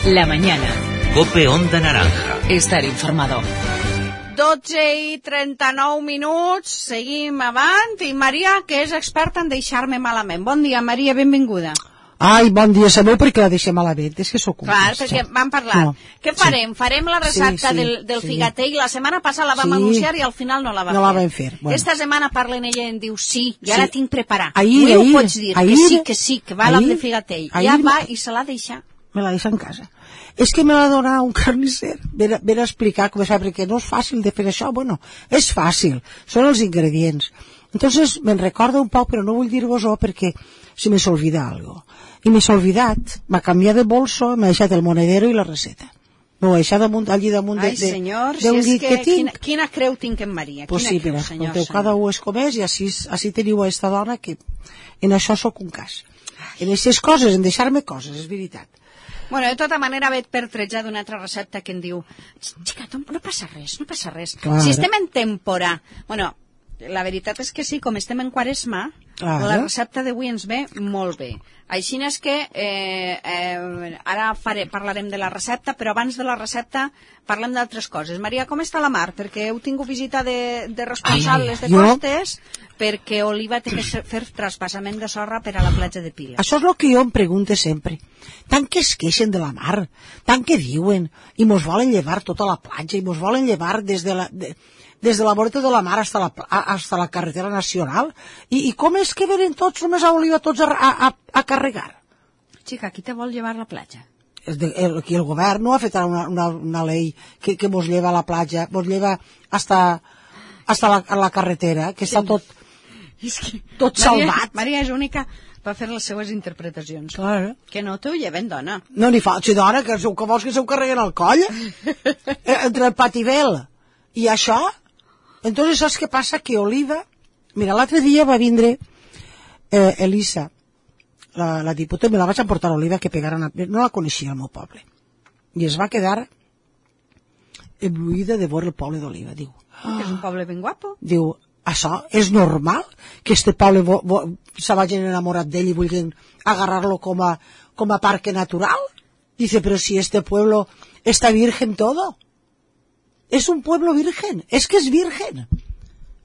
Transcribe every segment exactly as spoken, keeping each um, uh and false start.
La mañana. Cope Onda Naranja. Estar informado. dotze i trenta-nou minuts, seguim avant, i Maria, que és experta en deixar-me malament. Bon dia, Maria, benvinguda. Ai, bon dia, sabeu per què la deixem malament? És que sóc un Clar, cas, perquè vam parlar. No. Què farem? Sí. Farem la recepta sí, sí, del, del sí. figatell. La setmana passada la vam sí. anunciar i al final no la vam no fer. la vam fer. Bueno. Esta setmana parlen ella i em diu sí, ja sí. la tinc preparada. Ahir, Avui ahir, ho pots dir, ahir, que sí, que sí, que va ahir, la de figatell. ahir, ja va i se l'ha deixat. Me la deixa en casa. És que me la dona un carnisser. Ven a, ven a explicar com es fa, perquè no és fàcil de fer això. Bueno, és fàcil. Són els ingredients. Entonces, me'n recordo un poc, però no vull dir-vos-ho perquè se me s'olvida algo. I me s'ha olvidat. M'ha canviat de bolso, m'ha deixat el monedero i la receta. M'ho ha deixat damunt, allí damunt de, Ai, senyor, de, de un si és llit que, que tinc. Quina, quina creu tinc en Maria? Pues Quina sí, creu, mira, senyor, escolteu, senyor. cada un és com és i així, així teniu a esta dona que en això sóc un cas. En aquestes coses, en deixar-me coses, és veritat. Bueno, de tota manera vaig pertrejar d'una altra recepta que em diu xica, no passa res, no passa res. Clar. Si estem en temporà... Bueno, la veritat és que sí, com estem en quaresma, Clar. la recepta d'avui ens ve molt bé. Així és que eh, eh, ara faré, parlarem de la recepta, però abans de la recepta parlem d'altres coses. Maria, com està la mar? Perquè heu tingut visita de, de responsables Ai, de jo... costes, perquè Oliva té que fer traspassament de sorra per a la platja de Piles. Això és el que jo em pregunto sempre. Tant que es queixen de la mar, tant que diuen, i mos volen llevar tota la platja, i mos volen llevar des de la... De... des de la voreta de la mar hasta la, hasta la carretera nacional, i, i com és que venen tots, només a Oliva, tots a, a, a carregar? Xica, qui te vol llevar a la platja? El, el, el, el govern no ha fet una, una, una llei que, que mos lleva a la platja, mos lleva hasta, hasta la, a la carretera, que està tot, és que tot Maria, salvat. Maria és única per fer les seues interpretacions. Clar. Que no t'ho lleven, dona. No n'hi fa, si dona, que, que vols que se ho carreguen al coll? Entre el pativel i això... Entonces, saps què passa? Que Oliva... Mira, l'altre dia va vindre eh, Elisa, la, la diputada, me la vaig emportar a Oliva, que pegaran a... No la coneixia al meu poble. I es va quedar embruïda de veure el poble d'Oliva. Diu... Oh. Que és un poble ben guapo. Diu, això és normal? Que este poble vo, vo, se vagin enamorat d'ell i vulguin agarrar-lo com a, com a parque natural? Dice, però si este pueblo està virgen todo. És un pueblo virgen, és que és virgen.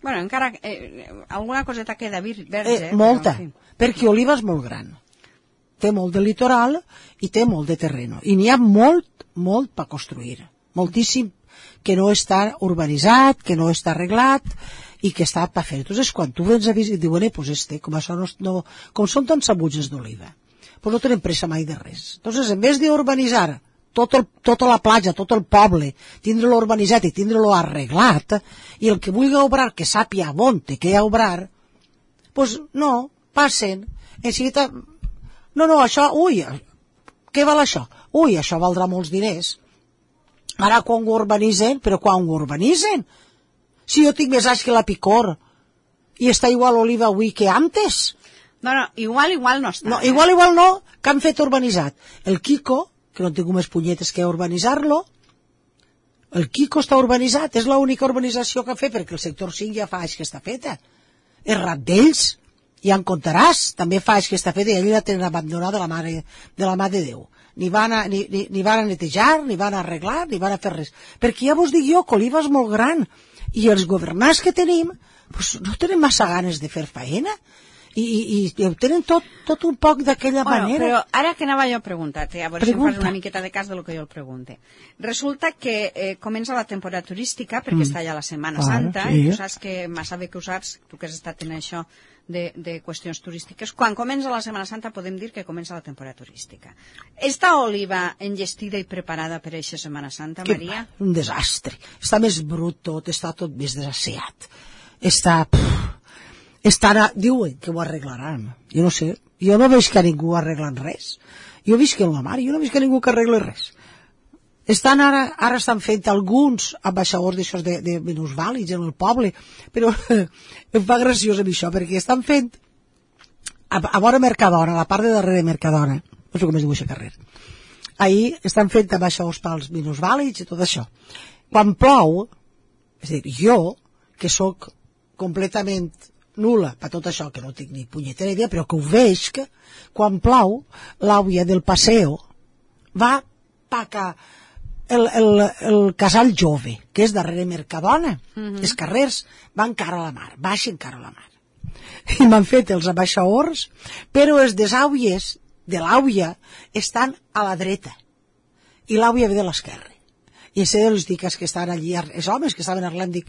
Bueno, encara eh, alguna coseta queda vir, verge. Eh, molta, però, en fi. perquè Oliva és molt gran. Té molt de litoral i té molt de terreno. I n'hi ha molt, molt per construir. Moltíssim que no està urbanitzat, que no està arreglat i que està per fer. Entonces, quan tu vens a visitar, diuen, eh, pues este, com, això no, no, com són tants sabutges d'Oliva, pues no tenen pressa mai de res. Entonces, en vez d'urbanitzar Tot el, tota la platja, tot el poble, tindre-lo urbanitzat i tindre-lo arreglat, i el que vulgui obrar, que sàpia on té que obrar, pues no, passen. Enseguida, no, no, això, ui, què val això? Ui, això valdrà molts diners. Ara quan ho urbanitzen, però quan ho urbanitzen? Si jo tinc més anys que la Picor, i està igual Oliva avui que antes. No, no, igual, igual no està. No, igual, igual no, que han fet urbanitzat. El Quico, que no tinc més punyetes que urbanitzar-lo, el Quico està urbanitzat, és l'única urbanització que ha fet, perquè el sector cinc ja fa anys que està feta. El Rat d'ells, ja en comptaràs, també fa anys que està feta, i ell la tenen abandonada de la mare de, la mare de Déu. Ni van, a, ni, ni, ni van a netejar, ni van a arreglar, ni van a fer res. Perquè ja vos dic jo que Oliva és molt gran, i els governants que tenim, pues, no tenen massa ganes de fer faena, I, i, i ho tenen tot, tot un poc d'aquella bueno, manera. Però ara que anava jo a preguntar-te, a veure Pregunta. si em fas una miqueta de cas de lo que jo el pregunte. Resulta que eh, comença la temporada turística, perquè mm. està ja la Setmana Clar, Santa, sí. i tu saps que massa bé que ho saps, tu que has estat en això de, de qüestions turístiques, quan comença la Setmana Santa podem dir que comença la temporada turística. Està Oliva enllestida i preparada per a aquesta Setmana Santa, que, Maria? Un desastre. Està més brut tot, està tot més desasseat. Està... Pff, estarà, diuen que ho arreglaran. Jo no sé, jo no veig que ningú arreglen res. Jo visc en la mar, jo no veig que ningú que arregle res. Estan ara, ara estan fent alguns ambaixadors d'això de, de minusvàlids en el poble, però em fa graciós amb això, perquè estan fent a, a vora Mercadona, a la part de darrere de Mercadona, no sé com es diu aquest carrer, ahir estan fent ambaixadors pels minusvàlids i tot això. Quan plou, és a dir, jo, que sóc completament nul·la per tot això, que no tinc ni punyetera idea, però que ho veig que quan plou l'àvia del paseo va paca el, el, el casal jove, que és darrere Mercadona, Mhm. els carrers van cara a la mar, baixen cara a la mar. I m'han fet els abaixaors, però els desàuies de l'àuia estan a la dreta i l'àuia ve de l'esquerra. I sé els dic que estan allí, els homes que estaven arreglant, dic,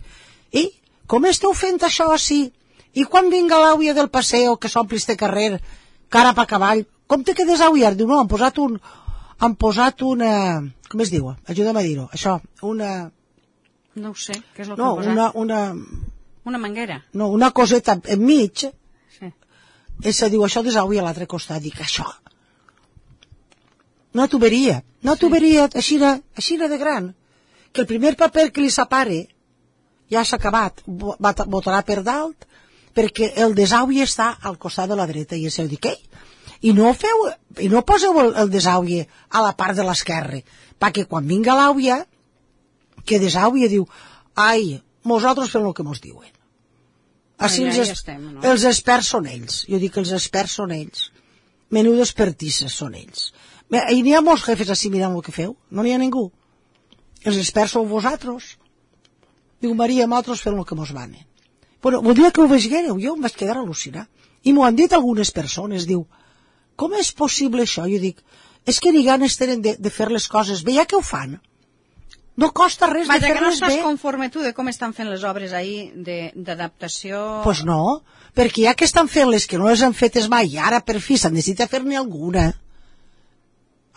i com esteu fent això així? I quan vinga l'àuia del passeo que s'ompli este carrer cara pa cavall, com te quedes àuia? Diu, no, han posat un han posat una, com es diu? Ajuda'm a dir-ho, això, una No ho sé, què és el que no, han posat? una, una Una manguera. no, una coseta enmig, Sí. i se diu, això desàuia a l'altre costat, dic, això una tuberia, una tuberia així de, així de gran, que el primer paper que li separe ja s'ha acabat, botarà per dalt, perquè el desàuie està al costat de la dreta, i es diu, què? I no feu, i no poseu el, el desàuie a la part de l'esquerra, perquè quan vinga l'àuia, que desàuie diu, ai, nosaltres fem el que mos diuen. Així ja, els, ja estem, no? els experts són ells, jo dic que els experts són ells, menudes pertisses són ells. I n'hi ha molts jefes així mirant el que feu, no n'hi ha ningú. Els experts sou vosaltres. Diu, Maria, nosaltres fem el que mos manen. Bueno, voldria que ho veiéreu, jo em vaig quedar al·lucinar. I m'ho han dit algunes persones, diu, com és possible això? Jo dic, és que ni ganes tenen de, de fer les coses bé, ja que ho fan. No costa res Vaja, de que no fer-les estàs bé. conforme tu de com estan fent les obres ahir d'adaptació... Doncs pues no, perquè ja que estan fent les que no les han fetes mai, i ara per fi se'n necessita fer-ne alguna,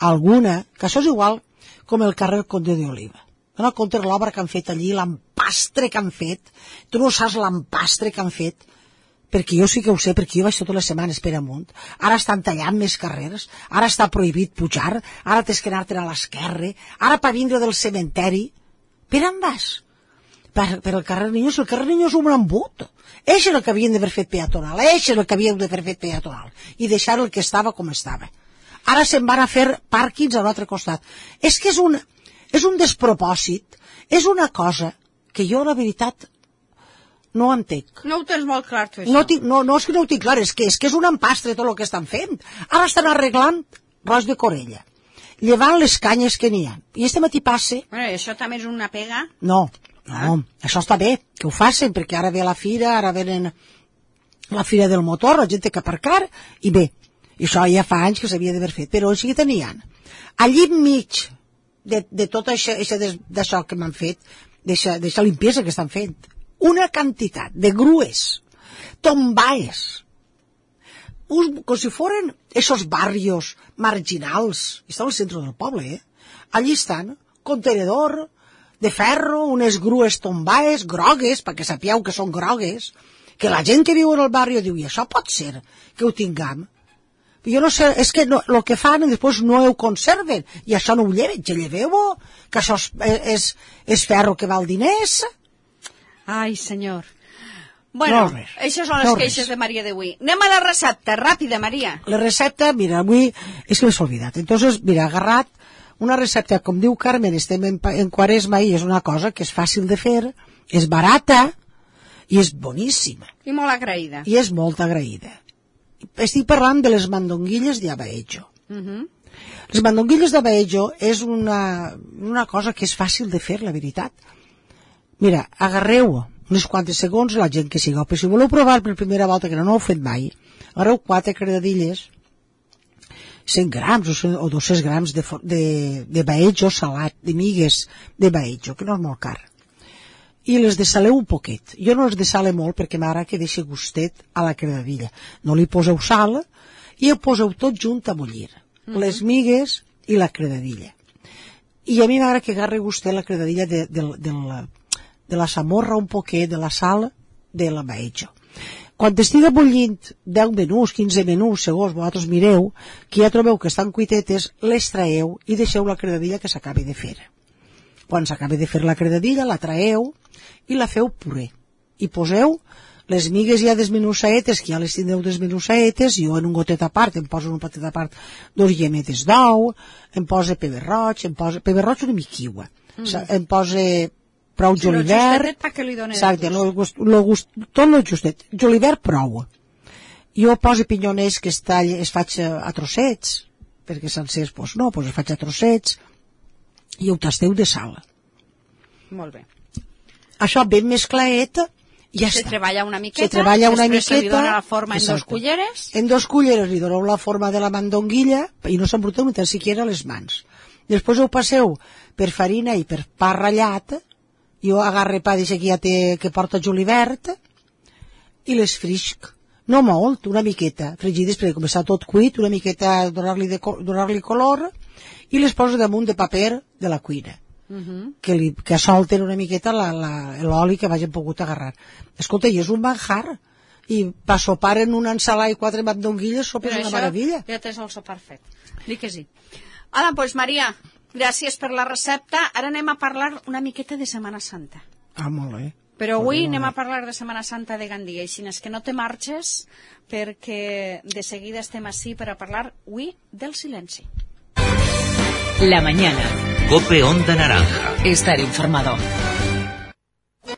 alguna, que això és igual com el carrer Conde de Oliva. Dóna compte l'obra que han fet allí, l'empastre que han fet, tu no saps l'empastre que han fet, perquè jo sí que ho sé, perquè jo vaig totes les setmanes per amunt, ara estan tallant més carrers, ara està prohibit pujar, ara tens que anar-te'n a l'esquerra, ara per vindre del cementeri, per on vas? Per, per el carrer Niños, el carrer Niños és un embut, eix és el que havien d'haver fet peatonal, eix és el que havien d'haver fet peatonal, i deixar el que estava com estava. Ara se'n van a fer pàrquings a l'altre costat. És que és un, és un despropòsit, és una cosa que jo, la veritat, no entenc. No ho tens molt clar, tu, això. No, tinc, no, no és que no ho tinc clar, és que, és que és un empastre tot el que estan fent. Ara estan arreglant Ros de Corella, llevant les canyes que n'hi ha. I este matí passe... Bueno, i això també és una pega? No, no, ah. Això està bé, que ho facin, perquè ara ve la fira, ara venen la fira del motor, la gent té que aparcar, i bé, i això ja fa anys que s'havia d'haver fet, però així que tenien. Allí enmig de, de tot això, d'això que m'han fet, d'aquesta limpiesa que estan fent, una quantitat de grues, tombaes, uns, com si foren esos barrios marginals, estan al centre del poble, eh? Allí estan, contenedor de ferro, unes grues tombaes, grogues, perquè sapieu que són grogues, que la gent que viu en el barri diu, i això pot ser que ho tinguem? Jo no sé, és que no, el que fan després no ho conserven, i això no ho lleven, que lleveu-ho, que això és, és, és ferro que val diners. Ai, senyor. Bueno, no això són les no queixes de Maria d'avui. Anem a la recepta, ràpida, Maria. La recepta, mira, avui, és que m'he oblidat. Entonces, mira, agarrat una recepta, com diu Carmen, estem en, en Quaresma i és una cosa que és fàcil de fer, és barata i és boníssima. I molt agraïda. I és molt agraïda. Estic parlant de les mandonguilles de abaejo. Uh -huh. Les mandonguilles d'abaejo és una, una cosa que és fàcil de fer, la veritat. Mira, agarreu uns quants segons la gent que sigueu, però si voleu provar per primera volta, que no, no ho heu fet mai, agarreu quatre credadilles, cent grams o dos-cents grams de, de, de baejo salat, de migues de baejo, que no és molt car. I les desaleu un poquet. Jo no les desale molt perquè m'agrada que deixi gustet a la credadilla. No li poseu sal i ho poseu tot junt a bullir. Mm -hmm. Les migues i la credadilla. I a mi m'agrada que agarri gustet la credadilla de, de, de, la, de la samorra un poquet, de la sal de la baejo. Quan estiga bullint deu minuts, quinze minuts, segons vosaltres mireu, que ja trobeu que estan cuitetes, les traeu i deixeu la credadilla que s'acabi de fer. Quan s'acabi de fer la credadilla, la traeu i la feu puré. I poseu les migues ja desmenussaetes, que ja les tindreu desmenussaetes, jo en un gotet a part, em poso en un patet a part dos llemetes d'ou, em posa peber roig, em posa peber roig una miquiua, mm. em posa prou sí, julivert, exacte, lo gust, lo gust, tot el justet, julivert prou. Jo poso pinyoners que es, tall, es faig a trossets, perquè sencers, doncs no, doncs es faig a trossets, i ho tasteu de sal. Molt bé. Això ben mesclaet, ja Se està. treballa una miqueta, Se treballa una després se li miqueta, dona la forma en dos exacte. culleres. En dos culleres li doneu la forma de la mandonguilla i no s'embruteu ni tan siquiera les mans. Després ho passeu per farina i per pa ratllat. Jo agarre pa d'això que ja té, que porta julivert, i les frisc. No molt, una miqueta. Fregides perquè com està tot cuit, una miqueta donar-li de, donar-li color, i les poso damunt de paper de la cuina. Uh -huh. que, li, que solten una miqueta l'oli que vagin pogut agarrar. Escolta, i és un manjar. I per sopar en una ensalada i quatre mandonguilles sopa és una meravella. Ja tens el sopar fet. Dic que sí. Hola, doncs pues, Maria, gràcies per la recepta. Ara anem a parlar una miqueta de Setmana Santa. Ah, molt bé. Però avui anem a parlar de Setmana Santa de Gandia, així és que no te marxes, perquè de seguida estem així per a parlar avui del silenci. La mañana. COPE Onda Naranja. Estar informado.